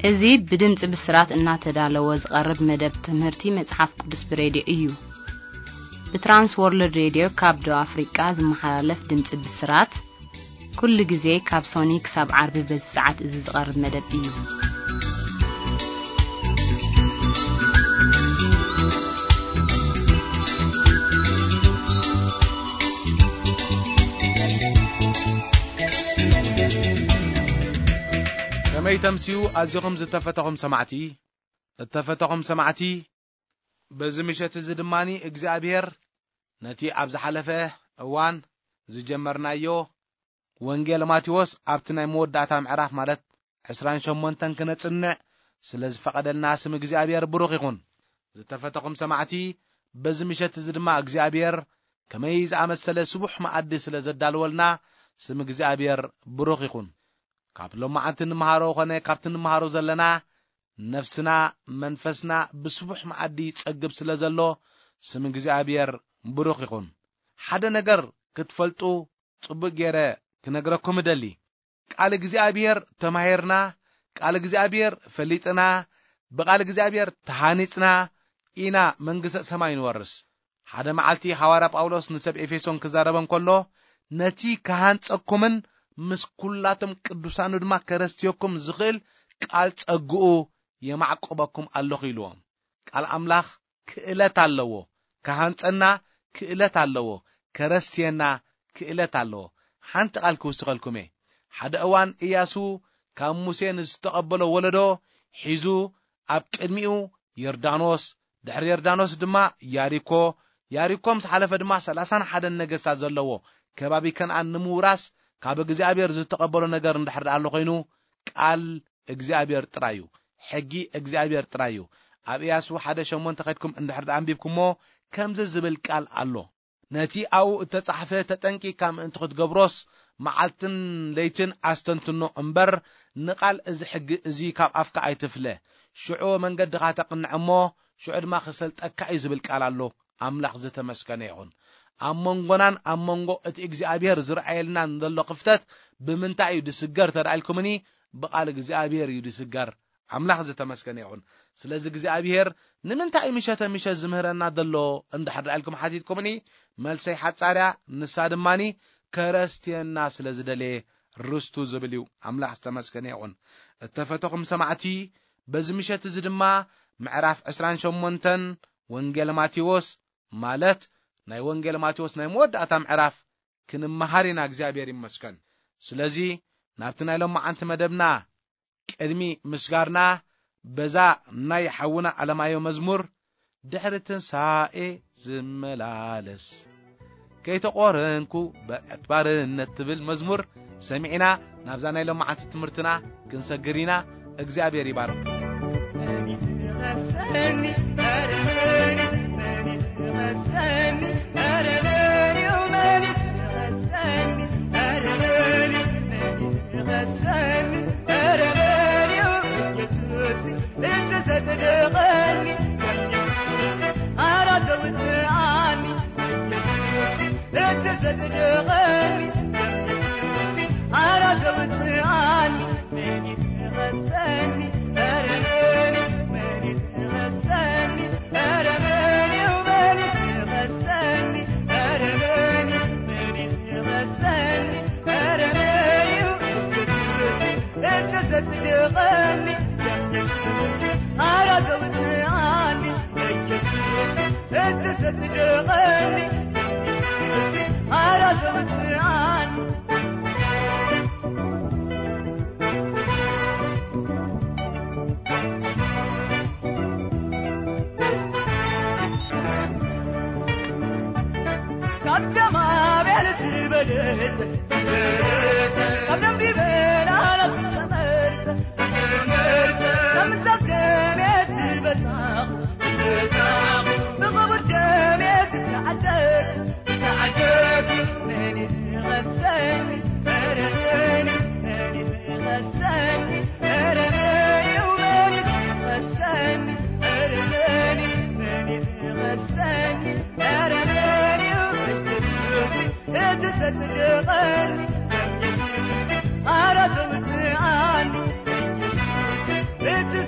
እዚ ብድምፂ ብስራት እናተዳለወ ዝቐርብ መደብ ትምህርቲ መጽሓፍ ቅዱስ ብሬድዮ እዩ። ብትራንስ ወርልድ ሬድዮ ካብ ደቡብ ኣፍሪቃ ዝመሓላለፍ ድምፂ ብስራት፣ ኩሉ ግዜ ካብ ሶኒ ክሳብ ዓርቢ በዚ ሰዓት እዚ ዝቐርብ መደብ እዩ። ከመይ ተምስዩ ኣዚኹም ዝተፈተኹም ሰማዕቲ? እተፈተኹም ሰማዕቲ፣ በዚ ምሸት እዚ ድማኒ እግዚኣብሔር ነቲ ኣብ ዝሓለፈ እዋን ዝጀመርናዮ ወንጌል ማቴዎስ ኣብቲ ናይ መወዳእታ ምዕራፍ ማለት ዕስራን ሸሞንተን ክነጽንዕ ስለ ዝፈቐደልና ስም እግዚኣብሔር ብሩኽ ይኹን። ዝተፈተኹም ሰማዕቲ፣ በዚ ምሸት እዚ ድማ እግዚኣብሔር ከመይ ዝኣመሰለ ስቡሕ መኣዲ ስለ ዘዳልወልና ስም እግዚኣብሔር ብሩኽ ይኹን። ካብ ሎማዓንቲ ንምሃሮ ኾነ ካብቲ ንምሃሮ ዘለና ነፍስና፣ መንፈስና ብስቡሕ መኣዲ ይጸግብ ስለ ዘሎ ስም እግዚኣብሔር ብሩኽ ይኹን። ሓደ ነገር ክትፈልጡ ጽቡቕ ገይረ ክነግረኩም እደሊ። ቃል እግዚኣብሔር ተማሂርና፣ ቃል እግዚኣብሔር ፈሊጥና፣ ብቃል እግዚኣብሔር ተሃኒጽና ኢና መንግስተ ሰማይ ንወርስ። ሓደ መዓልቲ ሓዋርያ ጳውሎስ ንሰብ ኤፌሶን ክዛረበን ከሎ፣ ነቲ ክሃንጸኩምን ምስ ኩላቶም ቅዱሳኑ ድማ ከረስትየኩም ዝኽእል ቃል ጸግኡ የማዕቁበኩም ኣለኹ ኢልዎም። ቃል ኣምላኽ ክእለት ኣለዎ። ክሃንጸና ክእለት ኣለዎ። ከረስትየና ክእለት ኣለዎ። ሓንቲ ቃል ክውስኸልኩም እየ። ሓደ እዋን እያሱ ካብ ሙሴ ንዝተቐበሎ ወለዶ ሒዙ ኣብ ቅድሚኡ ዮርዳኖስ፣ ድሕሪ ዮርዳኖስ ድማ ያሪኮ፣ ያሪኮ ምስ ሓለፈ ድማ ሰላሳን ሓደን ነገስታት ዘለዎ ከባቢ ከነኣን ንምውራስ ካብ እግዚኣብሔር ዝተቐበሎ ነገር እንድሕር ደኣ ኣሎ ኮይኑ ቃል እግዚኣብሔር ጥራይ እዩ። ሕጊ እግዚኣብሔር ጥራይ እዩ። ኣብ እያሱ ሓደ ሸሞንተ ከድኩም እንድሕር ደኣ ኣንቢብኩሞ ከምዚ ዝብል ቃል ኣሎ። ነቲ ኣብኡ እተጻሕፈ ተጠንቂቕካ ምእንቲ ክትገብሮስ መዓልትን ለይትን ኣስተንትኖ እምበር ንቓል እዚ ሕጊ እዚ ካብ ኣፍካ ኣይትፍለ። ሽዑ መንገድኻ ተቕንዕ እሞ ሽዑ ድማ ክሰልጠካ እዩ ዝብል ቃል ኣሎ። ኣምላኽ ዝተመስገነ ይኹን። ኣብ መንጎናን ኣብ መንጎ እቲ እግዚኣብሔር ዝረኣየልናን ዘሎ ክፍተት ብምንታይ እዩ ድስገር ተዳኢልኩምኒ? ብቓል እግዚኣብሔር እዩ ድስገር። ኣምላኽ ዝተመስገነ ይኹን። ስለዚ እግዚኣብሔር ንምንታይ እዩ ምሸተ ምሸት ዝምህረና ዘሎ እንድሕር ደኣ ኢልኩም ሓቲትኩምኒ፣ መልሰይ ሓጻርያ ንሳ ድማኒ ከረስትየና ስለ ዝደለየ ርስቱ ዝብል እዩ። ኣምላኽ ዝተመስገነ ይኹን። እተፈተኹም ሰማዕቲ፣ በዚ ምሸት እዚ ድማ ምዕራፍ ዕስራን ሸሞንተን ወንጌል ማቴዎስ ማለት ናይ ወንጌል ማቴዎስ ናይ መወዳእታ ምዕራፍ ክንመሃር ኢና። እግዚኣብሔር ይመስገን። ስለዚ ናብቲ ናይ ሎማዓንቲ መደብና ቅድሚ ምስጋርና በዛ ናይ ሓውና ኣለማዮ መዝሙር ድሕሪ ትንሳኤ ዝመላለስ ከይተቖረንኩ በዕት ባርነት ትብል መዝሙር ሰሚዕና ናብዛ ናይ ሎማዓንቲ ትምህርትና ክንሰግር ኢና። እግዚኣብሔር ይባርክ።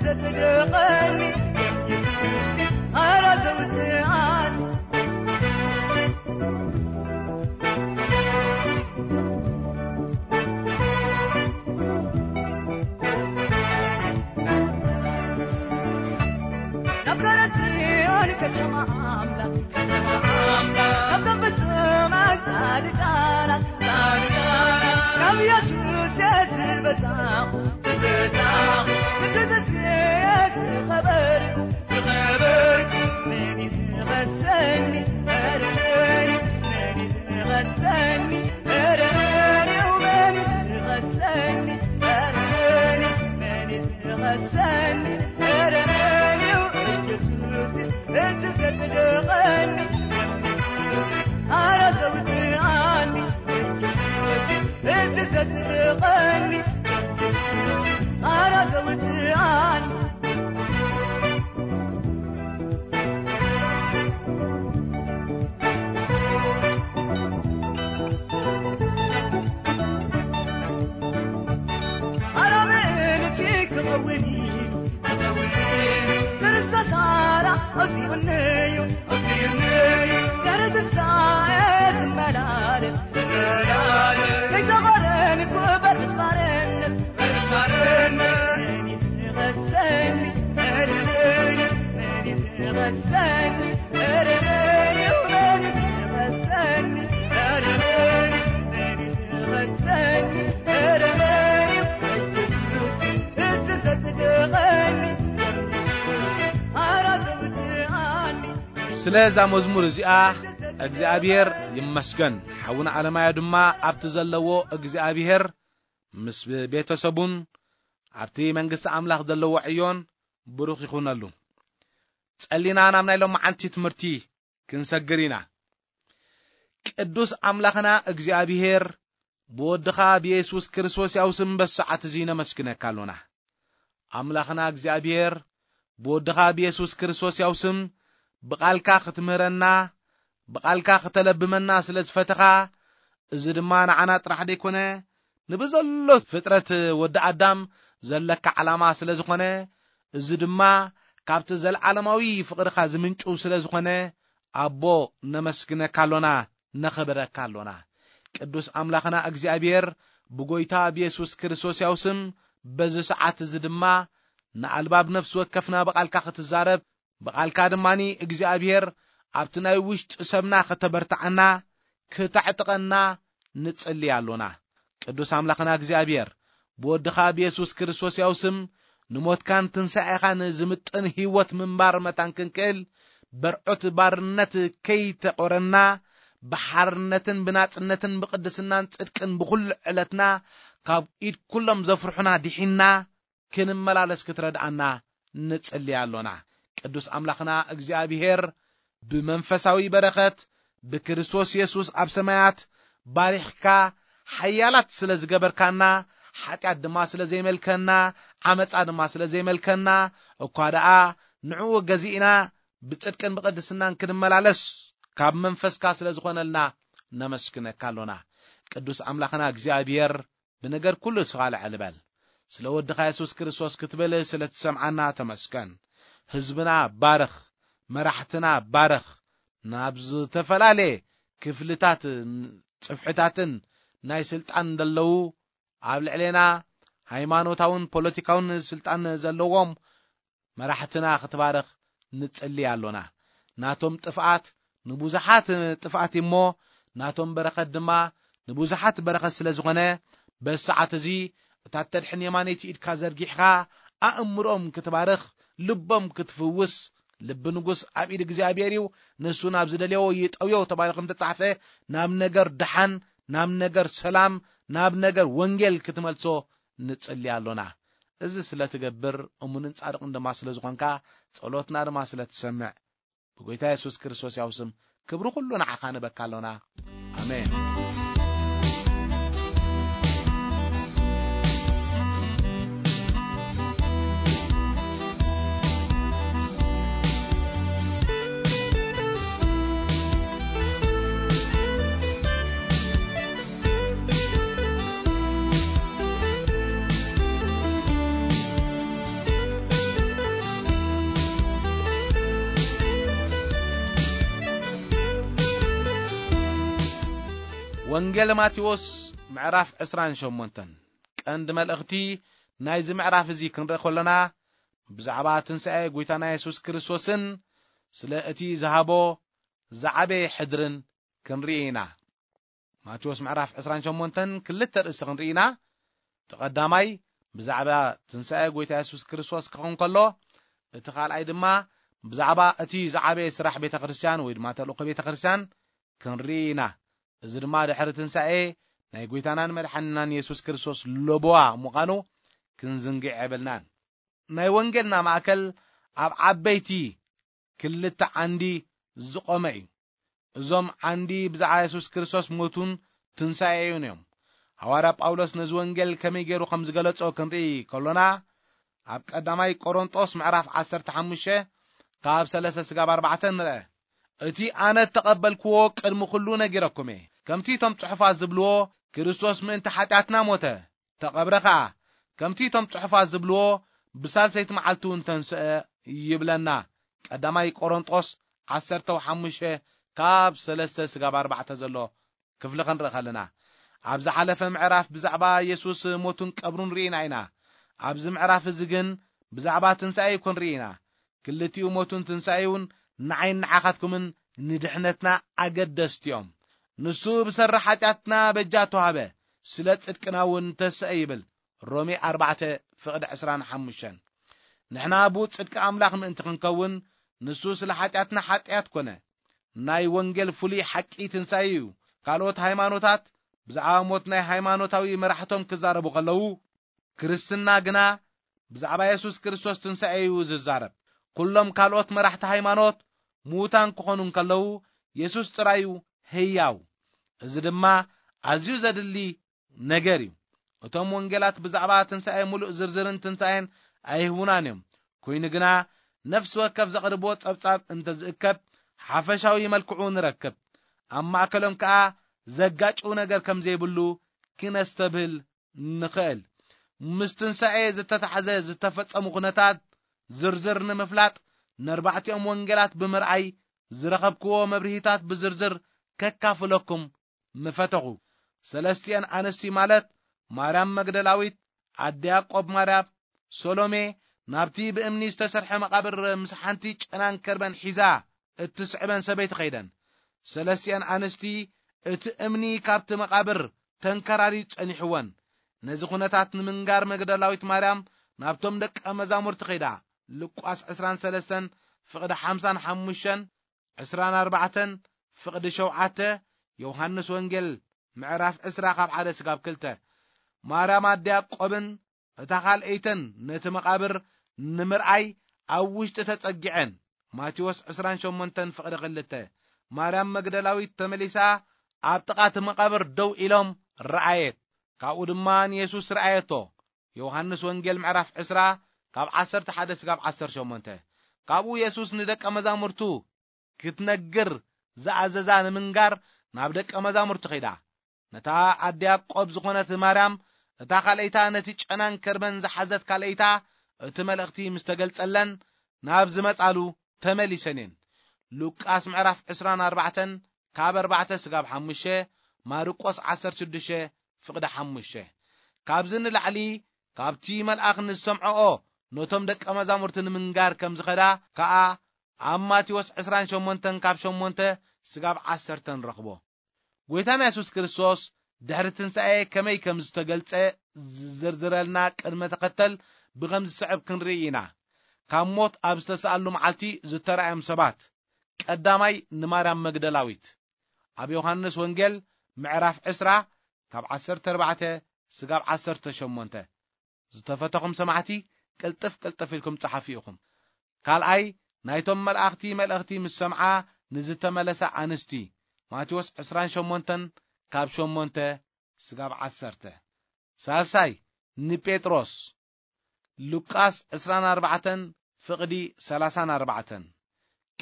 ዘጽድቐኒ የሱስ ኣራተውትኣን ናብ ገረጽዮን ከተማ ኣምላኽ ከተማ ኣምላኽ ካብ ፍጹማት ጻድቃናት ጻድቃናት ካብ የሱስ የትበጻኹ ስለ እዛ መዝሙር እዚኣ እግዚኣብሔር ይመስገን። ሓውና ኣለማዮ ድማ ኣብቲ ዘለዎ እግዚኣብሔር ምስ ቤተሰቡን ኣብቲ መንግስቲ ኣምላኽ ዘለዎ ዕዮን ብሩኽ ይኹነሉ። ጸሊና ናብ ናይ ሎማዓንቲ ትምህርቲ ክንሰግር ኢና። ቅዱስ ኣምላኽና እግዚኣብሔር ብወድኻ ብየሱስ ክርስቶስ ያው ስም በሰዓት እዚ ነመስግነካ ኣሎና። ኣምላኽና እግዚኣብሔር ብወድኻ ብየሱስ ክርስቶስ ያው ስም ብቓልካ ክትምህረና ብቓልካ ክተለብመና ስለ ዝፈተኻ፣ እዚ ድማ ንዓና ጥራሕ ደይኮነ ንብዘሎ ፍጥረት ወዲ ኣዳም ዘለካ ዓላማ ስለ ዝኾነ፣ እዚ ድማ ካብቲ ዘለዓለማዊ ፍቕርኻ ዝምንጩ ስለ ዝኾነ፣ ኣቦ ነመስግነካ ኣሎና፣ ነኸብረካ ኣሎና። ቅዱስ ኣምላኽና እግዚኣብሔር ብጎይታ ብየሱስ ክርስቶስ ያው ስም በዚ ሰዓት እዚ ድማ ንኣልባብ ነፍሲ ወከፍና ብቓልካ ክትዛረብ፣ ብቓልካ ድማኒ እግዚኣብሔር ኣብቲ ናይ ውሽጢ ሰብና ከተበርትዓና፣ ክተዕጥቐና ንጽሊ ኣሎና። ቅዱስ ኣምላኽና እግዚኣብሔር ብወድኻ ብየሱስ ክርስቶስ ያው ስም ንሞትካን ትንሳኤኻን ዝምጥን ህይወት ምንባር መታን ክንክእል፣ በርዑት ባርነት ከይተቖረና፣ ብሓርነትን ብናጽነትን ብቕድስናን ጽድቅን ብኹሉ ዕለትና ካብ ኢድ ኩሎም ዘፍርሑና ድሒንና ክንመላለስ ክትረድኣና ንጽሊ ኣሎና። ቅዱስ ኣምላኽና እግዚኣብሔር ብመንፈሳዊ በረኸት ብክርስቶስ የሱስ ኣብ ሰማያት ባሪኽካ ሓያላት ስለ ዝገበርካና፣ ሓጢኣት ድማ ስለ ዘይመልከና፣ ዓመፃ ድማ ስለ ዘይመልከና፣ እኳ ደኣ ንዕኡ ገዚእና ብጽድቅን ብቕድስናን ክንመላለስ ካብ መንፈስካ ስለ ዝኾነልና ነመስግነካ ኣሎና። ቅዱስ ኣምላኽና እግዚኣብሔር ብነገር ኩሉ እስኻ ልዕል በል። ስለ ወድኻ የሱስ ክርስቶስ ክትብል ስለ ትሰምዓና ተመስገን። ህዝብና ባርኽ፣ መራሕትና ባርኽ፣ ናብ ዝተፈላለየ ክፍልታት ጽፍሕታትን ናይ ስልጣን ዘለዉ ኣብ ልዕሌና ሃይማኖታውን ፖለቲካውን ስልጣን ዘለዎም መራሕትና ክትባርኽ ንጽሊ ኣሎና። ናቶም ጥፍኣት ንብዙሓት ጥፍኣት እሞ ናቶም በረኸት ድማ ንብዙሓት በረኸት ስለ ዝኾነ በዚ ሰዓት እዚ እታ ተድሕን የማነይቲ ኢድካ ዘርጊሕኻ ኣእምሮም ክትባርኽ ልቦም ክትፍውስ ልቢ ንጉስ ኣብ ኢድ እግዚኣብሔር እዩ። ንሱ ናብ ዝደልዮ ይጠውዮ ተባሂሉ ከም ተጻሕፈ ናብ ነገር ደሓን ናብ ነገር ሰላም ናብ ነገር ወንጌል ክትመልሶ ንጽሊ ኣሎና። እዚ ስለ ትገብር እሙንን ጻድቕን ድማ ስለ ዝኾንካ ጸሎትና ድማ ስለ ትሰምዕ ብጎይታ የሱስ ክርስቶስ ያው ስም ክብሪ ኩሉ ንዓኻ ንበካ ኣሎና። ኣሜን። ወንጌል ማቴዎስ ምዕራፍ ዕስራን ሸሞንተን። ቀንዲ መልእኽቲ ናይዚ ምዕራፍ እዚ ክንርኢ ከለና፣ ብዛዕባ ትንሳኤ ጐይታና የሱስ ክርስቶስን ስለ እቲ ዝሃቦ ዝዓበየ ሕድርን ክንርኢ ኢና። ማቴዎስ ምዕራፍ ዕስራን ሸሞንተን ክልተ ርእሲ ክንርኢ ኢና። እቲ ቀዳማይ ብዛዕባ ትንሳኤ ጐይታ የሱስ ክርስቶስ ክኸውን ከሎ፣ እቲ ካልኣይ ድማ ብዛዕባ እቲ ዝዓበየ ስራሕ ቤተ ክርስቲያን ወይ ድማ ተልእኾ ቤተ ክርስቲያን ክንርኢ ኢና። እዚ ድማ ድሕሪ ትንሳኤ ናይ ጐይታናን መድሓንናን የሱስ ክርስቶስ ለበዋ ምዃኑ ክንዝንግዕ የብልናን። ናይ ወንጌልና ማእከል ኣብ ዓበይቲ ክልተ ዓንዲ ዝቖመ እዩ። እዞም ዓንዲ ብዛዕባ የሱስ ክርስቶስ ሞቱን ትንሳኤኡን እዮም። ሃዋርያ ጳውሎስ ነዚ ወንጌል ከመይ ገይሩ ከም ዝገለጾ ክንርኢ ከሎና፣ ኣብ ቀዳማይ ቆሮንጦስ ምዕራፍ ዓሰርተ ሓሙሽተ ካብ ሰለስተ ስጋብ ኣርባዕተ ንርአ። እቲ ኣነ እተቐበልክዎ ቅድሚ ኩሉ ነጊረኩም እየ። ከምቲ እቶም ጽሑፋት ዝብልዎ፣ ክርስቶስ ምእንቲ ሓጢኣትና ሞተ፣ ተቐብረ ኸኣ። ከምቲ እቶም ጽሑፋት ዝብልዎ፣ ብሳልሰይቲ መዓልቲ እውን ተንስአ ይብለና። ቀዳማይ ቆሮንጦስ ዓሰርተ ሓሙሽተ ካብ ሰለስተ ስጋብ ኣርባዕተ ዘሎ ክፍሊ ክንርኢ ከለና፣ ኣብ ዝሓለፈ ምዕራፍ ብዛዕባ የሱስ ሞቱን ቀብሩን ርኢና ኢና። ኣብዚ ምዕራፍ እዚ ግን ብዛዕባ ትንሳኤ እዩ ክንርኢ ኢና። ክልቲኡ ሞቱን ትንሳኤኡን ንዓይን ንዓኻትኩምን ንድሕነትና ኣገደስቲ እዮም። ንሱ ብሰሪ ሓጢኣትና በጃ ተዋህበ፣ ስለ ጽድቅና እውን ተስአ ይብል። ሮሜ ኣርባዕተ ፍቕዲ ዕስራን ሓሙሽተን። ንሕና ብኡ ጽድቂ ኣምላኽ ምእንቲ ክንከውን፣ ንሱ ስለ ሓጢኣትና ሓጢኣት ኮነ። ናይ ወንጌል ፍሉይ ሓቂ ትንሳኤ እዩ። ካልኦት ሃይማኖታት ብዛዕባ ሞት ናይ ሃይማኖታዊ መራሕቶም ክዛረቡ ከለዉ፣ ክርስትና ግና ብዛዕባ የሱስ ክርስቶስ ትንሳኤ እዩ ዝዛረብ። ኩሎም ካልኦት መራሕቲ ሃይማኖት ምዉታን ክኾኑ እንከለዉ፣ የሱስ ጥራይ እዩ ህያው። እዚ ድማ ኣዝዩ ዘድሊ ነገር እዩ። እቶም ወንጌላት ብዛዕባ ትንሳኤ ምሉእ ዝርዝርን ትንሳኤን ኣይህቡናን እዮም። ኮይኑ ግና፣ ነፍሲ ወከፍ ዘቕርብዎ ጸብጻብ እንተ ዝእከብ፣ ሓፈሻዊ መልክዑ ንረክብ። ኣብ ማእከሎም ከኣ ዘጋጭው ነገር ከም ዘይብሉ ክነስተብህል ንኽእል። ምስ ትንሳኤ ዝተታሕዘ ዝተፈጸሙ ኩነታት ዝርዝር ንምፍላጥ፣ ነርባዕቲኦም ወንጌላት ብምርኣይ ዝረኸብክዎ መብርሂታት ብዝርዝር ከካፍለኩም ምፈተኹ። ሰለስቲአን ኣንስቲ ማለት ማርያም መግደላዊት፣ ኣደ ያዕቆብ ማርያም፣ ሶሎሜ፣ ናብቲ ብእምኒ ዝተሰርሐ መቓብር ምስ ሓንቲ ጨናን ከርበን ሒዛ እትስዕበን ሰበይቲ ኸይደን። ሰለስቲአን ኣንስቲ እቲ እምኒ ካብቲ መቓብር ተንከራርዩ ጸኒሕወን። ነዚ ኩነታት ንምንጋር መግደላዊት ማርያም ናብቶም ደቀ መዛሙርቲ ኸይዳ። ሉቃስ ዕስራን ሰለስተን ፍቕዲ ሓምሳን ሓሙሽተን፣ ዕስራን ኣርባዕተን ፍቕዲ ሸውዓተ፣ ዮሃንስ ወንጌል ምዕራፍ ዕስራ ካብ ሓደ ስጋብ ክልተ። ማርያም ኣደ ያዕቆብን እታ ካልኣይተን ነቲ መቓብር ንምርኣይ ኣብ ውሽጢ ተጸጊዐን። ማቴዎስ ዕስራን ሸሞንተን ፍቕዲ ክልተ። ማርያም መግደላዊት ተመሊሳ ኣብ ጥቓ እቲ መቓብር ደው ኢሎም ረኣየት። ካብኡ ድማ ንየሱስ ረኣየቶ። ዮሃንስ ወንጌል ምዕራፍ ዕስራ ካብ ዓሰርተ ሓደ ስጋብ ዓሰርተ ሸሞንተ። ካብኡ የሱስ ንደቀ መዛሙርቱ ክትነግር ዝኣዘዛ ንምንጋር ናብ ደቀ መዛሙርቱ ኸይዳ። ነታ ኣደ ያዕቆብ ዝኾነት ማርያም፣ እታ ካልኣይታ ነቲ ጨናን ከርበን ዝሓዘት ካልኣይታ፣ እቲ መልእኽቲ ምስ ተገልጸለን ናብ ዝመጻሉ ተመሊሰን እየን። ሉቃስ ምዕራፍ ዕስራን ኣርባዕተን ካብ ኣርባዕተ ስጋብ ሓሙሽተ፣ ማርቆስ ዓሰርተ ሽዱሽተ ፍቕዲ ሓሙሽተ። ካብዚ ንላዕሊ ካብቲ መልኣኽ ንዝሰምዐኦ ነቶም ደቀ መዛሙርቲ ንምንጋር ከም ዝኸዳ ከኣ ኣብ ማቴዎስ ዕስራን ሸሞንተን ካብ ሸሞንተ ስጋብ ዓሰርተ ንረኽቦ። ጐይታና የሱስ ክርስቶስ ድሕሪ ትንሳኤ ከመይ ከም ዝተገልጸ ዝዝርዝረልና ቅድመ ተኸተል ብኸም ዝስዕብ ክንርኢ ኢና። ካብ ሞት ኣብ ዝተሰኣሉ መዓልቲ ዝተራእዮም ሰባት፣ ቀዳማይ ንማርያም መግደላዊት። ኣብ ዮሃንስ ወንጌል ምዕራፍ ዕስራ ካብ ዓሰርተ ኣርባዕተ ስጋብ ዓሰርተ ሸሞንተ። ዝተፈተኹም ሰማዕቲ፣ ቅልጥፍ ቅልጥፍ ኢልኩም ጸሓፉ ኢኹም። ካልኣይ፣ ናይቶም መላእኽቲ መልእኽቲ ምስ ሰምዓ ንዝተመለሳ ኣንስቲ፣ ማቴዎስ ዕስራን ሸሞንተን ካብ ሸሞንተ ስጋብ ዓሰርተ። ሳልሳይ፣ ንጴጥሮስ፣ ሉቃስ ዕስራን ኣርባዕተን ፍቕዲ ሰላሳን ኣርባዕተን።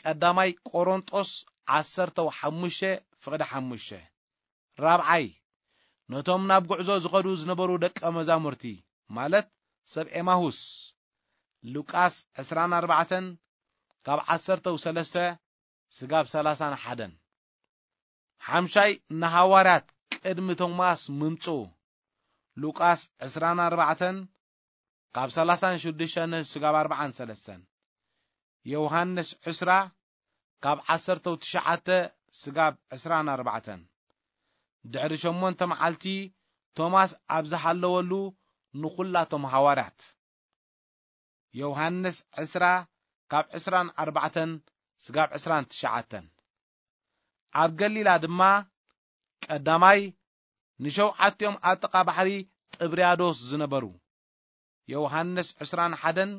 ቀዳማይ ቆሮንጦስ ዓሰርተ ሓሙሽተ ፍቕዲ ሓሙሽተ። ራብዓይ፣ ነቶም ናብ ጉዕዞ ዝኸዱ ዝነበሩ ደቀ መዛሙርቲ፣ ማለት ሰብ ኤማሁስ፣ ሉቃስ ዕስራን ኣርባዕተን ካብ ዓሰርተ ሰለስተ ስጋብ ሰላሳን ሓደን። ሓምሻይ፣ ንሃዋርያት ቅድሚ ቶማስ ምምጽኡ። ሉቃስ ዕስራን ኣርባዕተን ካብ ሰላሳን ሽዱሽተን ስጋብ ኣርባዓን ሰለስተን። ዮሃንስ ዕስራ ካብ ዓሰርተው ትሽዓተ ስጋብ ዕስራን ኣርባዕተን። ድሕሪ ሸሞንተ መዓልቲ ቶማስ ኣብ ዝሃለወሉ ንኹላቶም ሃዋርያት። ዮሃንስ ዕስራ ካብ ዕስራን ኣርባዕተን ስጋብ ዕስራን ትሽዓተን። ኣብ ገሊላ ድማ ቀዳማይ ንሸውዓቲኦም ኣብ ጥቓ ባሕሪ ጥብርያዶስ ዝነበሩ። ዮሃንስ ዕስራን ሓደን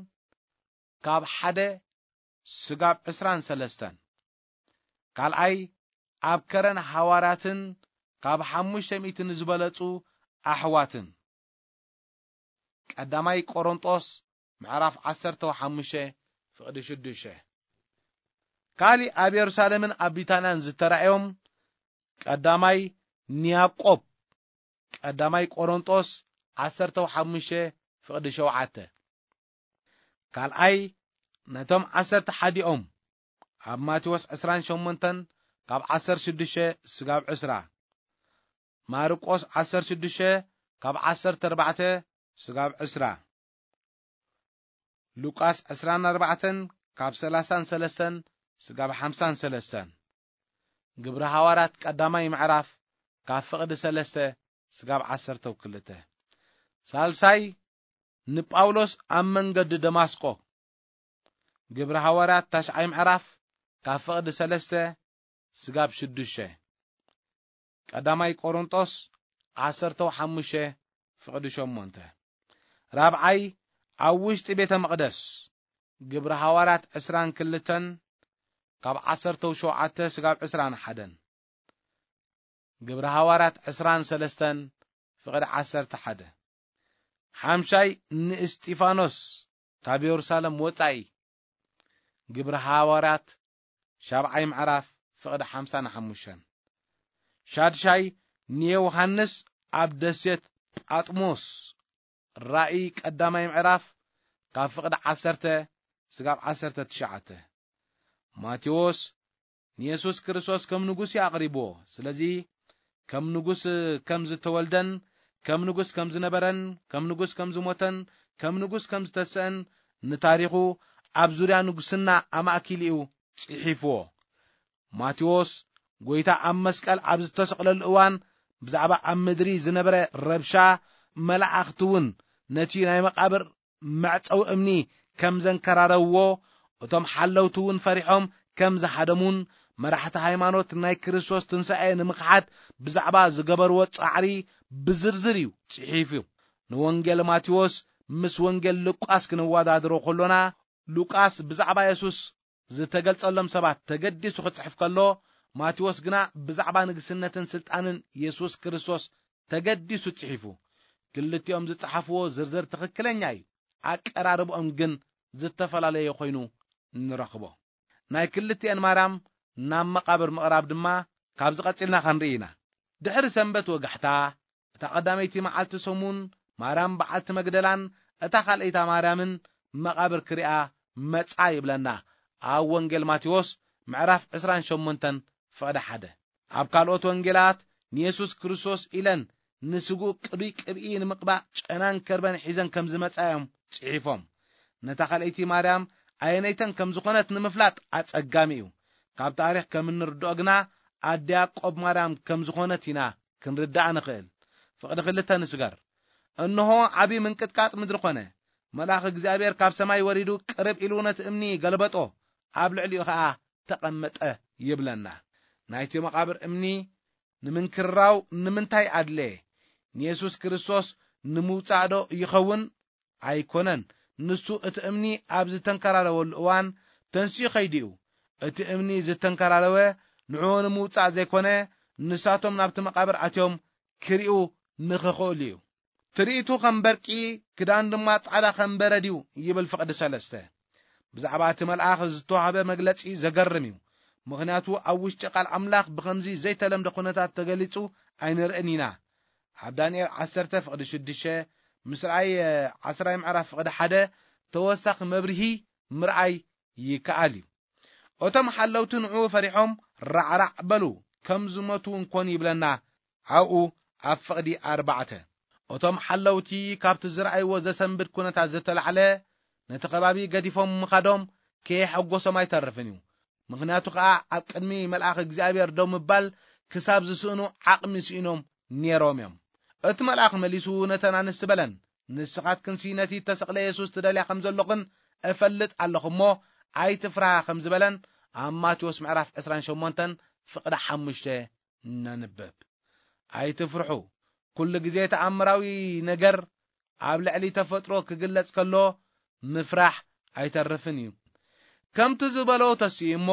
ካብ ሓደ ስጋብ ዕስራን ሰለስተን። ካልኣይ ኣብ ከረን ሃዋርያትን ካብ ሓሙሽተ ሚእቲ ንዝበለጹ ኣሕዋትን። ቀዳማይ ቆሮንጦስ ምዕራፍ ዓሰርተ ሓሙሽተ ፍቕዲ ሽዱሽተ። ካሊእ ኣብ የሩሳሌምን ኣብ ቢታንያን ዝተራእዮም ቀዳማይ ንያቆብ፣ ቀዳማይ ቆሮንጦስ ዓሰርተ ሓሙሽተ ፍቕዲ ሸውዓተ። ካልኣይ ነቶም ዓሰርተ ሓዲኦም ኣብ ማቴዎስ ዕስራን ሸሞንተን ካብ ዓሰርተ ሽዱሽተ ስጋብ ዕስራ። ማርቆስ ዓሰርተ ሽዱሽተ ካብ ዓሰርተ ኣርባዕተ ስጋብ ዕስራ። ሉቃስ ዕስራን ኣርባዕተን ካብ ሰላሳን ሰለስተን ስጋብ ሓምሳን ሰለስተን። ግብሪ ሃዋርያት ቀዳማይ ምዕራፍ ካብ ፍቕዲ ሰለስተ ስጋብ ዓሰርተው ክልተ። ሳልሳይ ንጳውሎስ ኣብ መንገዲ ደማስቆ። ግብሪ ሃዋርያት ታሽዓይ ምዕራፍ ካብ ፍቕዲ ሰለስተ ስጋብ ሽዱሽተ። ቀዳማይ ቆሮንጦስ ዓሰርተው ሓሙሽተ ፍቕዲ ሸሞንተ። ራብዓይ ኣብ ውሽጢ ቤተ መቕደስ። ግብሪ ሃዋርያት ዕስራን ክልተን ካብ ዓሰርተው ሸውዓተ ስጋብ ዕስራን ሓደን። ግብሪ ሃዋርያት ዕስራን ሰለስተን ፍቕዲ ዓሰርተ ሓደ። ሓምሻይ ንእስጢፋኖስ ካብ የሩሳሌም ወጻኢ። ግብሪ ሃዋርያት ሻብዓይ ምዕራፍ ፍቕዲ ሓምሳን ሓሙሽተን። ሻድሻይ ንዮሃንስ ኣብ ደሴት ጳጥሞስ። ራእይ ቀዳማይ ምዕራፍ ካብ ፍቕዲ ዓሰርተ ስጋብ ዓሰርተ ትሽዓተ። ማቴዎስ ንየሱስ ክርስቶስ ከም ንጉስ እዩ ኣቕሪብዎ። ስለዚ ከም ንጉስ ከም ዝተወልደን ከም ንጉስ ከም ዝነበረን ከም ንጉስ ከም ዝሞተን ከም ንጉስ ከም ዝተስአን ንታሪኹ ኣብ ዙርያ ንጉስና ኣማእኪሉ እዩ ጽሒፍዎ። ማቴዎስ ጎይታ ኣብ መስቀል ኣብ ዝተሰቕለሉ እዋን ብዛዕባ ኣብ ምድሪ ዝነበረ ረብሻ፣ መላእኽቲ እውን ነቲ ናይ መቓብር መዕጸዊ እምኒ ከም ዘንከራረውዎ፣ እቶም ሓለውቲ እውን ፈሪሖም ከም ዝሃደሙን መራሕቲ ሃይማኖት ናይ ክርስቶስ ትንሳኤ ንምኽሓድ ብዛዕባ ዝገበርዎ ጻዕሪ ብዝርዝር እዩ ጽሒፉ። ንወንጌል ማቴዎስ ምስ ወንጌል ሉቃስ ክንወዳድሮ ከሎና፣ ሉቃስ ብዛዕባ የሱስ ዝተገልጸሎም ሰባት ተገዲሱ ክጽሕፍ ከሎ፣ ማቴዎስ ግና ብዛዕባ ንግስነትን ስልጣንን የሱስ ክርስቶስ ተገዲሱ ጽሒፉ። ክልቲኦም ዝጸሓፍዎ ዝርዝር ትኽክለኛ እዩ፣ ኣቀራርብኦም ግን ዝተፈላለየ ኮይኑ ንረኽቦ። ናይ ክልቲኤን ማርያም ናብ መቓብር ምቕራብ ድማ ካብዚ ቀጺልና ክንርኢ ኢና። ድሕሪ ሰንበት ወጋሕታ፣ እታ ቀዳመይቲ መዓልቲ ሰሙን፣ ማርያም በዓልቲ መግደላን እታ ካልኣይታ ማርያምን መቓብር ክሪኣ መጻ ይብለና ኣብ ወንጌል ማቴዎስ ምዕራፍ ዕስራን ሸሞንተን ፍቕዲ ሓደ። ኣብ ካልኦት ወንጌላት ንየሱስ ክርስቶስ ኢለን ንስግኡ ቅዱይ ቅብኢ ንምቕባእ ጨናን ከርበን ሒዘን ከም ዝመጻ እዮም ጽሒፎም። ነታ ካልኣይቲ ማርያም ኣየነይተን ከም ዝኾነት ንምፍላጥ ኣጸጋሚ እዩ። ካብ ታሪኽ ከም እንርድኦ ግና ኣደ ያዕቆብ ማርያም ከም ዝኾነት ኢና ክንርዳእ ንኽእል። ፍቕዲ ክልተ ንስገር። እንሆ ዓቢ ምንቅጥቃጥ ምድሪ ኾነ። መልኣኽ እግዚኣብሔር ካብ ሰማይ ወሪዱ ቅርብ ኢሉ ነቲ እምኒ ገልበጦ፣ ኣብ ልዕሊኡ ኸኣ ተቐመጠ ይብለና። ናይቲ መቓብር እምኒ ንምንክርራው ንምንታይ ኣድለየ? ንየሱስ ክርስቶስ ንምውጻእ ዶ ይኸውን? ኣይኮነን። ንሱ እቲ እምኒ ኣብ ዝተንከራረወሉ እዋን ተንሲኡ ኸይዱ እዩ። እቲ እምኒ ዝተንከራረወ ንዕኡ ንምውጻእ ዘይኮነ፣ ንሳቶም ናብቲ መቓብር ኣትዮም ክሪኡ ንኽኽእሉ እዩ። ትርኢቱ ከም በርቂ፣ ክዳን ድማ ጻዕዳ ከም በረድ እዩ ይብል ፍቕዲ ሰለስተ። ብዛዕባ እቲ መልኣኽ ዝተዋህበ መግለጺ ዘገርም እዩ። ምኽንያቱ ኣብ ውሽጢ ቃል ኣምላኽ ብኸምዚ ዘይተለምደ ኩነታት ተገሊጹ ኣይንርእን ኢና። ኣብ ዳንኤል ዓሰርተ ፍቕዲ ሽዱሽተ፣ ምስ ራእይ ዓስራይ ምዕራፍ ፍቕዲ ሓደ ተወሳኺ መብርሂ ምርኣይ ይከኣል እዩ። እቶም ሓለውቲ ንዕኡ ፈሪሖም ራዕራዕ በሉ፣ ከም ዝሞቱ እንኮን ይብለና ኣብኡ ኣብ ፍቕዲ ኣርባዕተ፣ እቶም ሓለውቲ ካብቲ ዝረኣይዎ ዘሰንብድ ኩነታት ዝተላዕለ፣ ነቲ ከባቢ ገዲፎም ምኻዶም ከየሐጎሶም ኣይተርፍን እዩ። ምኽንያቱ ከኣ ኣብ ቅድሚ መልኣኽ እግዚኣብሔር ደው ምባል ክሳብ ዝስእኑ ዓቕሚ ስኢኖም ነይሮም እዮም። እቲ መልኣኽ መሊሱ ነተን ኣንስቲ በለን፣ "ንስኻትክንሲ ነቲ እተሰቕለ የሱስ ትደልያ ከም ዘለኹን እፈልጥ ኣለኹ እሞ፣ ኣይትፍርሃ" ከም ዝበለን ኣብ ማቴዎስ ምዕራፍ ዕስራን ሸሞንተን ፍቕዲ ሓሙሽተ ነንብብ። ኣይትፍርሑ። ኩሉ ግዜ ተኣምራዊ ነገር ኣብ ልዕሊ ተፈጥሮ ክግለጽ ከሎ ምፍራሕ ኣይተርፍን እዩ። ከምቲ ዝበሎ ተስኡ እሞ፣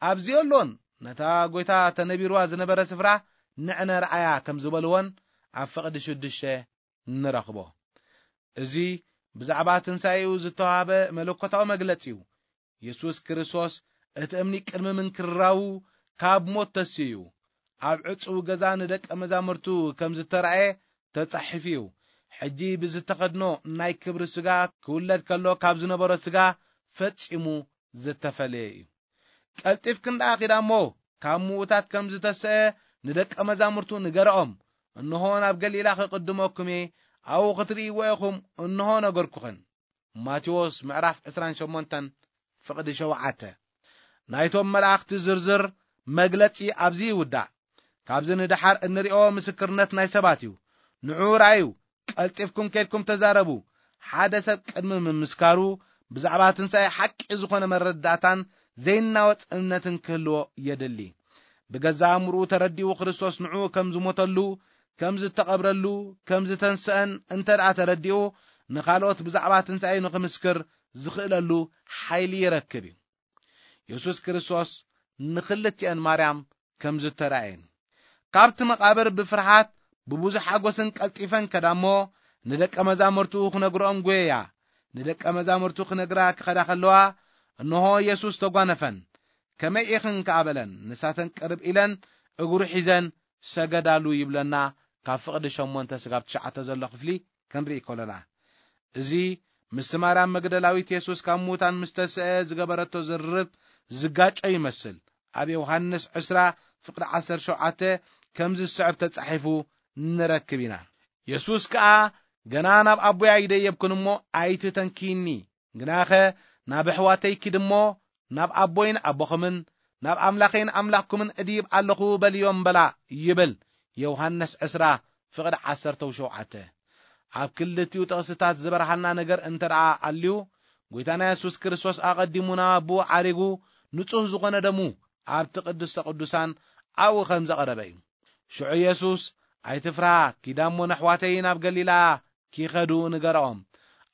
"ኣብዚ ኣሎን ነታ ጐይታ ተነቢርዋ ዝነበረ ስፍራ ንዕነ ረኣያ" ከም ዝበልወን ኣብ ፍቕዲ ሽዱሽተ ንረኽቦ። እዚ ብዛዕባ ትንሳኤኡ ዝተዋህበ መለኮታዊ መግለጺ እዩ። የሱስ ክርስቶስ እቲ እምኒ ቅድሚ ምንክርራዉ ካብ ሞት ተስኡ እዩ። ኣብ ዕጹው ገዛ ንደቀ መዛሙርቱ ከም ዝተራእየ ተጻሒፉ እዩ። ሕጂ ብዝተኸድኖ ናይ ክብሪ ስጋ ክውለድ ከሎ ካብ ዝነበሮ ስጋ ፈጺሙ ዝተፈለየ እዩ። ቀልጢፍክን ደኣ ኺዳ እሞ ካብ ምዉታት ከም ዝተሰአ ንደቀ መዛሙርቱ ንገረኦም። "እንሆ ናብ ገሊላ ክቕድመኩም እየ፣ ኣብኡ ክትርእይዎ ኢኹም፣ እንሆ ነገርኩኽን።" ማቴዎስ ምዕራፍ ዕስራን ሸሞንተን ፍቕዲ ሸውዓተ። ናይቶም መላእኽቲ ዝርዝር መግለጺ ኣብዚ ይውዳእ። ካብዚ ንደሓር እንርእዮ ምስክርነት ናይ ሰባት እዩ። ንዑ ረኣዩ፣ ቀልጢፍኩም ኬድኩም ተዛረቡ። ሓደ ሰብ ቅድሚ ምምስካሩ ብዛዕባ ትንሳኤ ሓቂ ዝኾነ መረዳእታን ዘይናወጽ እምነትን ክህልዎ የድሊ። ብገዛ ኣእምርኡ ተረዲኡ ክርስቶስ ንዑ ከም ዝሞተሉ፣ ከም ዝተቐብረሉ፣ ከም ዝተንስአን እንተ ደኣ ተረዲኡ፣ ንኻልኦት ብዛዕባ ትንሳኤ ንኽምስክር ዝኽእለሉ ሓይሊ ይረክብ እዩ። የሱስ ክርስቶስ ንኽልቲአን ማርያም ከም ዝተራእየን፣ ካብቲ መቓብር ብፍርሃት ብብዙሕ ሓጎስን ቀልጢፈን ከዳ እሞ፣ ንደቀ መዛሙርቱ ክነግርኦም ጐየያ። ንደቀ መዛሙርቱ ክነግራ ክኸዳ ከለዋ፣ እንሆ የሱስ ተጓነፈን። "ከመይ ኢኽን?" ከኣ በለን። ንሳተን ቅርብ ኢለን እግሩ ሒዘን ሰገዳሉ ይብለና፣ ካብ ፍቕዲ ሸሞንተ ስጋብ ትሽዓተ ዘሎ ክፍሊ ክንርኢ ከሎና። እዚ ምስ ማርያም መግደላዊት የሱስ ካብ ምዉታን ምስ ተስአ ዝገበረቶ ዝርርብ ዝጋጮ ይመስል። ኣብ ዮሃንስ ዕስራ ፍቕዲ ዓሰርተ ሸውዓተ ከምዚ ዝስዕብ ተጻሒፉ ንረክብ ኢና። የሱስ ከኣ፣ "ገና ናብ ኣቦይ ኣይደየብኩን እሞ ኣይትተንክይኒ፣ ግናኸ ናብ ኣሕዋተይ ኪድ እሞ ናብ ኣቦይን ኣቦኹምን ናብ ኣምላኸይን ኣምላኽኩምን እድይብ ኣለኹ በልዮም በላ" ይብል። ዮሃንስ ዕስራ ፍቕዲ ዓሰርተ ሸውዓተ። ኣብ ክልቲኡ ጥቕስታት ዝበርሃልና ነገር እንተ ደኣ ኣልዩ፣ ጐይታና የሱስ ክርስቶስ ኣቐዲሙ ናብ ኣቦኡ ዓሪጉ፣ ንጹህ ዝኾነ ደሙ ኣብቲ ቅድስተ ቅዱሳን ኣብኡ ከም ዘቕረበ እዩ። ሽዑ የሱስ፣ "ኣይትፍርሃ፣ ኪዳ እሞ ነሕዋተይ ናብ ገሊላ ኪኸዱ ንገርኦም፣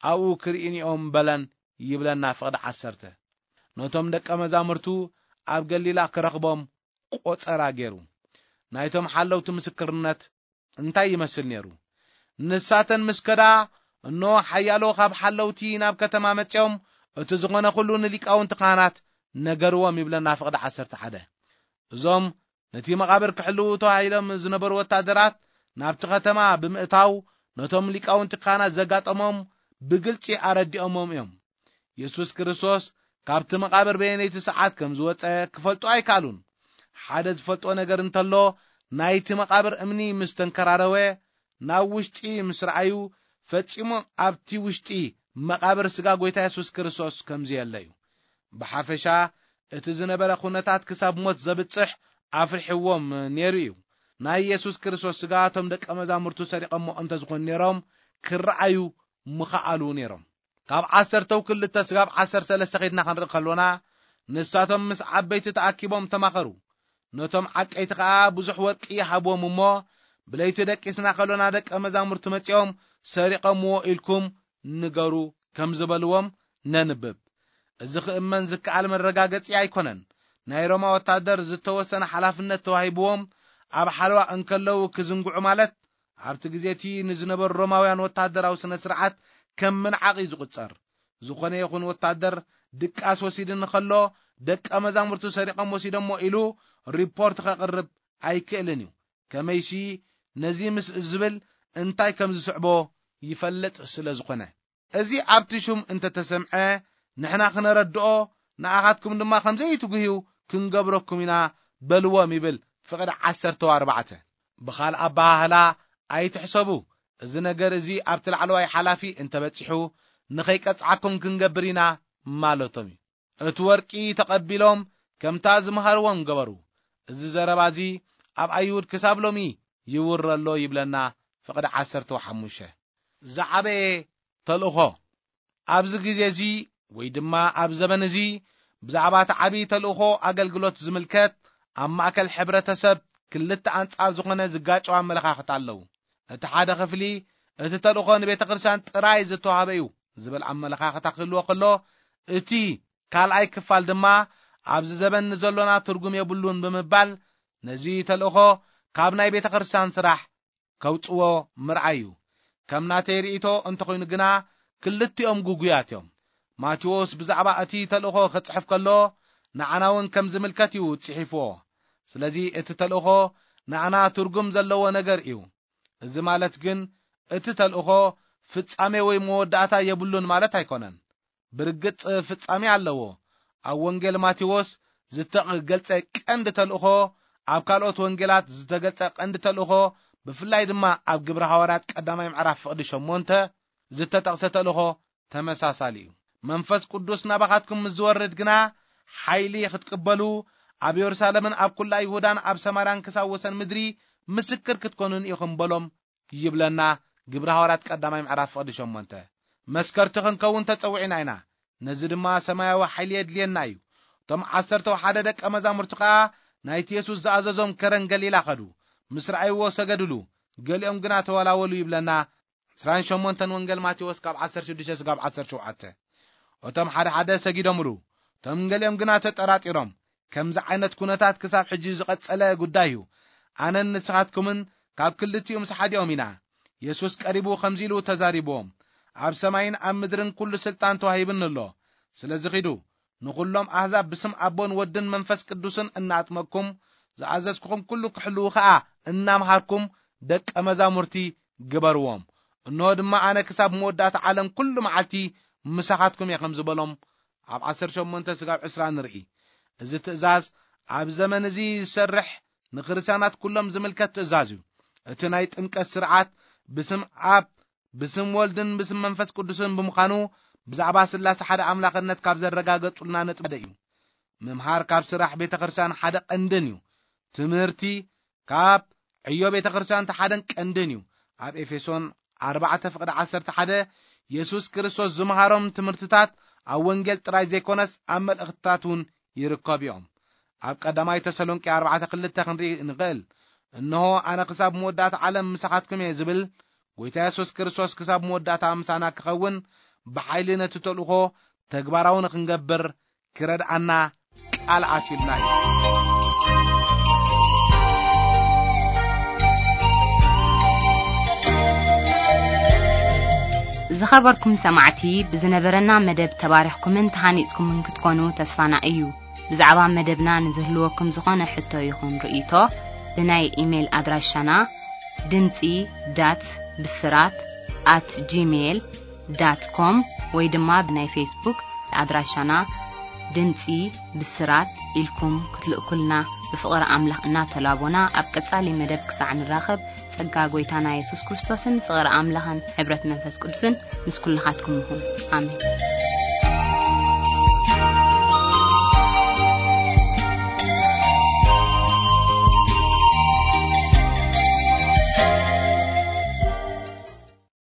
ኣብኡ ክርእዩኒ እዮም" በለን ይብለና ፍቕዲ ዓሰርተ። ነቶም ደቀ መዛሙርቱ ኣብ ገሊላ ክረኽቦም ቆጸራ ገይሩ። ናይቶም ሓለውቲ ምስክርነት እንታይ ይመስል ነይሩ? ንሳተን ምስ ከዳ፣ እነሆ ሓያሎ ካብ ሓለውቲ ናብ ከተማ መጺኦም፣ እቲ ዝኾነ ኩሉ ንሊቃውንቲ ካህናት ነገርዎም ይብለና ፍቕዲ ዓሰርተ ሓደ። እዞም ነቲ መቓብር ክሕልዉ ተዋሂሎም ዝነበሩ ወታደራት ናብቲ ከተማ ብምእታው፣ ነቶም ሊቃውንቲ ካህናት ዘጋጠሞም ብግልጺ ኣረዲኦሞም እዮም። የሱስ ክርስቶስ ካብቲ መቓብር በየነይቲ ሰዓት ከም ዝወጸ ክፈልጡ ኣይከኣሉን። ሓደ ዝፈልጦ ነገር እንተሎ፣ ናይቲ መቓብር እምኒ ምስ ተንከራረወ፣ ናብ ውሽጢ ምስ ረኣዩ፣ ፈጺሙ ኣብቲ ውሽጢ መቓብር ስጋ ጐይታ የሱስ ክርስቶስ ከም ዘየለ እዩ። ብሓፈሻ፣ እቲ ዝነበረ ኩነታት ክሳብ ሞት ዘብጽሕ ኣፍሪሕዎም ነይሩ እዩ። ናይ የሱስ ክርስቶስ ስጋ እቶም ደቀ መዛሙርቱ ሰሪቐሞ እንተ ዝኾኑ ነይሮም፣ ክረኣዩ ምኸኣሉ ነይሮም። ካብ ዓሰርተው ክልተ ስጋብ ዓሰርተ ሰለስተ ኸይድና ክንርኢ ከሎና፣ ንሳቶም ምስ ዓበይቲ ተኣኪቦም ተማኸሩ። ነቶም ዓቀይቲ ኸኣ ብዙሕ ወርቂ ይሃብዎም እሞ፣ "ብለይቲ ደቂስና ከሎና ደቀ መዛሙርቱ መጺኦም ሰሪቐምዎ ኢልኩም ንገሩ" ከም ዝበልዎም ነንብብ። እዚ ክእመን ዝከኣል መረጋገጺ ኣይኮነን። ናይ ሮማ ወታደር ዝተወሰነ ሓላፍነት ተዋሂብዎም ኣብ ሓለዋ እንከለዉ ክዝንግዑ ማለት፣ ኣብቲ ግዜ እቲ ንዝነበሩ ሮማውያን ወታደራዊ ስነ ስርዓት ከም ምንዓቕ እዩ ዝቑጸር። ዝኾነ ይኹን ወታደር ድቃስ ወሲድኒ ከሎ፣ "ደቀ መዛሙርቱ ሰሪቖም ወሲዶሞ" ኢሉ ሪፖርት ከቕርብ ኣይክእልን እዩ። ከመይሲ ነዚ ምስ ዝብል እንታይ ከም ዝስዕቦ ይፈልጥ ስለ ዝኾነ። እዚ ኣብቲ ሹም እንተተሰምዐ፣ ንሕና ክነረድኦ፣ ንኣኻትኩም ድማ ከም ዘይትጉህዩ ክንገብረኩም ኢና በልዎም ይብል ፍቕዲ ዓሰርተ ኣርባዕተ። ብኻልእ ኣበሃህላ ኣይትሕሰቡ፣ እዚ ነገር እዚ ኣብቲ ላዕለዋይ ሓላፊ እንተበጺሑ ንኸይቀጽዓኩም ክንገብር ኢና ማለቶም እዩ። እቲ ወርቂ ተቐቢሎም ከምታ ዝመሃርዎም ገበሩ። እዚ ዘረባ እዚ ኣብ ኣይሁድ ክሳብ ሎሚ ይውረ ኣሎ ይብለና ፍቕዲ ዓሰርተ ሓሙሽተ። ዝዓበየ ተልእኾ። ኣብዚ ግዜ እዚ ወይ ድማ ኣብ ዘበን እዚ ብዛዕባ እቲ ዓብዪ ተልእኾ ኣገልግሎት ዝምልከት ኣብ ማእከል ሕብረተሰብ ክልተ ኣንጻር ዝኾነ ዝጋጨው ኣመለኻኽታ ኣለዉ። እቲ ሓደ ክፍሊ እቲ ተልእኾ ንቤተ ክርስቲያን ጥራይ ዝተዋህበ እዩ ዝብል ኣመለኻኽታ ክህልዎ ከሎ፣ እቲ ካልኣይ ክፋል ድማ ኣብዚ ዘበን ንዘሎና ትርጉም የብሉን ብምባል ነዚ ተልእኾ ካብ ናይ ቤተ ክርስቲያን ስራሕ ከውጽዎ ምርኣይ እዩ። ከም ናተይ ርእይቶ እንተኾይኑ ግና ክልቲኦም ግጉያት እዮም። ማቴዎስ ብዛዕባ እቲ ተልእኾ ክጽሕፍ ከሎ ንዓና እውን ከም ዝምልከት እዩ ጽሒፍዎ። ስለዚ እቲ ተልእኾ ንዓና ትርጉም ዘለዎ ነገር እዩ። እዚ ማለት ግን እቲ ተልእኾ ፍጻሜ ወይ መወዳእታ የብሉን ማለት ኣይኮነን። ብርግጽ ፍጻሜ ኣለዎ። ኣብ ወንጌል ማቴዎስ ዝተገልጸ ቀንዲ ተልእኾ፣ ኣብ ካልኦት ወንጌላት ዝተገልጸ ቀንዲ ተልእኾ፣ ብፍላይ ድማ ኣብ ግብረ ሃዋርያት ቀዳማይ ምዕራፍ ፍቕዲ ሸሞንተ ዝተጠቕሰ ተልእኾ ተመሳሳሊ እዩ። መንፈስ ቅዱስ ናባኻትኩም ምስ ዝወርድ ግና ሓይሊ ክትቅበሉ፣ ኣብ የሩሳሌምን ኣብ ኩላ ይሁዳን ኣብ ሰማርያን ክሳብ ወሰን ምድሪ ምስክር ክትኮኑን ኢኹም በሎም ይብለና ግብረ ሃዋርያት ቀዳማይ ምዕራፍ ፍቕዲ ሸሞንተ። መስከርቲ ክንከውን ተጸዊዕና ኢና። ነዚ ድማ ሰማያዊ ሓይሊ የድልየና እዩ። እቶም ዓሰርተ ሓደ ደቀ መዛሙርቲ ከኣ ናይቲ የሱስ ዝኣዘዞም ከረን ገሊላ ኸዱ። ምስ ረኣይዎ ሰገድሉ፣ ገሊኦም ግና ተወላወሉ ይብለና ዕስራን ሸሞንተን ወንጌል ማቴዎስ ካብ ዓሰርተ ሽዱሽተ ስጋብ ዓሰርተ ሸውዓተ። እቶም ሓደ ሓደ ሰጊዶምሉ፣ እቶም ገሊኦም ግና ተጠራጢሮም። ከምዚ ዓይነት ኩነታት ክሳብ ሕጂ ዝቐጸለ ጉዳይ እዩ። ኣነን ንስኻትኩምን ካብ ክልቲኡ ምስ ሓዲኦም ኢና። የሱስ ቀሪቡ ከምዚ ኢሉ ተዛሪብዎም፣ ኣብ ሰማይን ኣብ ምድርን ኩሉ ስልጣን ተዋሂብኒ ኣሎ። ስለዚ ኺዱ፣ ንኹሎም ኣህዛብ ብስም ኣቦን ወድን መንፈስ ቅዱስን እናኣጥመቅኩም፣ ዝኣዘዝኩኹም ኩሉ ክሕልዉ ኸኣ እናምሃርኩም ደቀ መዛሙርቲ ግበርዎም። እንሆ ድማ ኣነ ክሳብ መወዳእታ ዓለም ኩሉ መዓልቲ ምሳኻትኩም እየ ከም ዝበሎም ኣብ ዓሰርተ ሸሞንተ ስጋብ ዕስራ ንርኢ። እዚ ትእዛዝ ኣብ ዘመን እዚ ዝሰርሕ ንክርስትያናት ኩሎም ዝምልከት ትእዛዝ እዩ። እቲ ናይ ጥምቀት ስርዓት ብስም ኣብ፣ ብስም ወልድን ብስም መንፈስ ቅዱስን ብምዃኑ ብዛዕባ ስላሴ ሓደ ኣምላኽነት ካብ ዘረጋገጹልና ነጥቢ ሓደ እዩ። ምምሃር ካብ ስራሕ ቤተ ክርስቲያን ሓደ ቀንድን እዩ። ትምህርቲ ካብ ዕዮ ቤተ ክርስቲያን እቲ ሓደን ቀንድን እዩ። ኣብ ኤፌሶን ኣርባዕተ ፍቕዲ ዓሰርተ ሓደ የሱስ ክርስቶስ ዝመሃሮም ትምህርትታት ኣብ ወንጌል ጥራይ ዘይኮነስ ኣብ መልእኽትታት እውን ይርከቡ እዮም። ኣብ ቀዳማይ ተሰሎንቄ ኣርባዕተ ክልተ ክንርኢ ንኽእል። እንሆ ኣነ ክሳብ መወዳእታ ዓለም ምሳኻትኩም እየ ዝብል ጎይታ የሱስ ክርስቶስ ክሳብ መወዳእታ ምሳና ክኸውን ብሓይሊ ነቲ ተልእኾ ተግባራዊ ንኽንገብር ክረድኣና ቃል ኣትዩልና እዩ። ዝኸበርኩም ሰማዕቲ፣ ብዝነበረና መደብ ተባሪኽኩምን ተሃኒጽኩምን ክትኮኑ ተስፋና እዩ። ብዛዕባ መደብና ንዝህልወኩም ዝኾነ ሕቶ ይኹን ርእይቶ፣ ብናይ ኢሜይል ኣድራሻና ድምጺ ዳት ብስራት ኣት ጂሜይል ዳት ኮም ወይ ድማ ብናይ ፌስቡክ ኣድራሻና ድምጺ ብስራት ኢልኩም ክትልእኩልና ብፍቕሪ ኣምላኽ እናተላቦና፣ ኣብ ቀጻሊ መደብ ክሳዕ ንራኸብ፣ ጸጋ ጎይታና የሱስ ክርስቶስን ፍቕሪ ኣምላኽን ሕብረት መንፈስ ቅዱስን ምስ ኩልኻትኩም ይኹን። ኣሜን።